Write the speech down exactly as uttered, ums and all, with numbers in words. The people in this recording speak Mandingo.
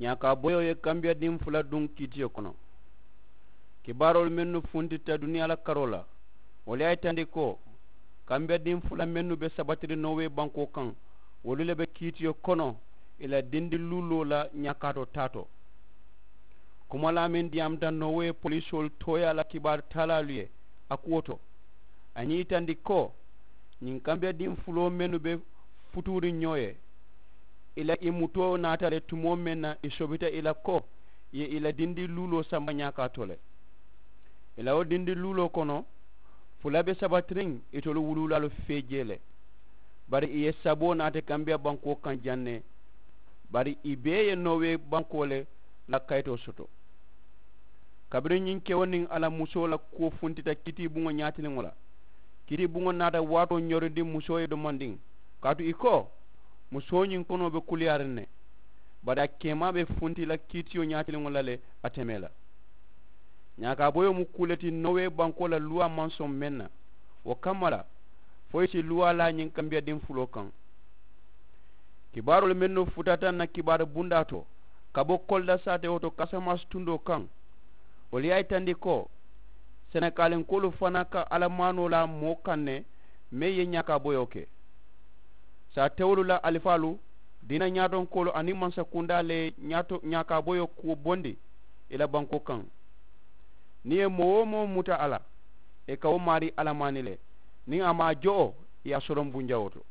Ñaakaaboyoo ye kambiyadiŋ fula duŋ kiitiyo kono. Kibaaroolu mennu funtita duniyaa la karoo la, wolu ye a yitandi ko kambiyadiŋ fula mennu be sabatiriŋ noowee bankoo kaŋ, wolu le be kiitiyo kono ì la dindiluuloo la ñaakaatoo taa to. Kumalaa meŋ diyaamuta noowee polisoolu tooyaa la kibaaru taalaalu ye a kuwo to, a ye ñiŋ yitandi ko ñiŋ kambiyadiŋ fuloo mennu be futuuriŋ ñoo ye, ì la ì mutoo naata le tumoo meŋ na ì sobita ì la ko ì ye ì la dindiluuloo samba ñaakaatoo le. Ì la wo dindiluuloo kono, fula be sabatiriŋ itolu wuluulaalu fee jee le. Bari ì ye saboo naati kambiya bankoo kaŋ jaŋ ne. Bari ì bee ye noowee bankoo le la kayitoo soto. Kabiriŋ ñiŋ kewo niŋ a la musoo la kuwo funtita kiitiibuŋo ñaatiliŋo la, kiitiibuŋo naata waatoo ñorindi musoo ye domandiŋ, kaatu ì ko musoo ñiŋ konoo be kuliyaariŋ ne. Bari a keemaa be funti la kiitiyo ñaatiliŋo la le, a temee la. Ñaakaaboyoo mu kuu le ti noowee bankoo la luwaa maŋ soŋ meŋ na, wo kamma la fo ì si luwaa laa ñiŋ kambiyadiŋ fuloo kaŋ. Kibaaroolu mennu futata ǹ na kibaaru bundaa to ka bo kolda saatewo to kasamansi tundoo kaŋ, wolu ye a yitandi ko senekaalinkoolu fanaa ka alla maanoo laa moo kaŋ ne meŋ ye ñaakaaboyoo ke. Saatewolu la alifaalu, diina ñaatonkoolu aniŋ mansakundaa le ye ñaakaaboyoo kuwo bondi ì la bankoo kaŋ. Niŋ ì ye moo-wo-moo muta a la, ì ka wo maarii alla maani le. Niŋ a maŋ a jo, ì ye a soloŋ bunjawoo to.